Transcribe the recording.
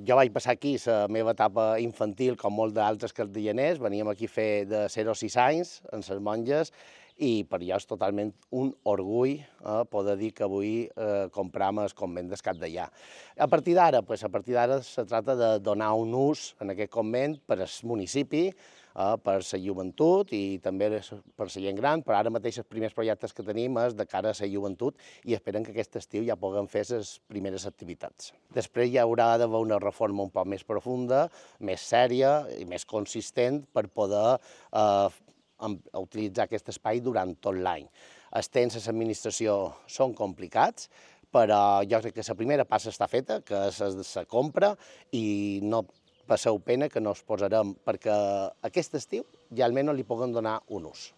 Jo vaig passar aquí la meva etapa infantil, com molts d'altres cardellaners, veníem aquí a fer de 0 a 6 anys, en les monges, i per jo és totalment un orgull poder dir que avui compram el convent del Capdellà. A partir d'ara se tracta de donar un ús en aquest convent per al municipi, per la joventut i també per la gent gran, però ara mateix els primers projectes que tenim és de cara a la joventut i esperem que aquest estiu ja puguem fer les primeres activitats. Després hi haurà d'haver una reforma un poc més profunda, més sèria i més consistent per poder utilitzar aquest espai durant tot l'any. Els temps de l'administració són complicats, però jo crec que la primera passa està feta, que és la compra, i no passeu pena que no us posarem perquè aquest estiu ja almenys li puguem donar un ús.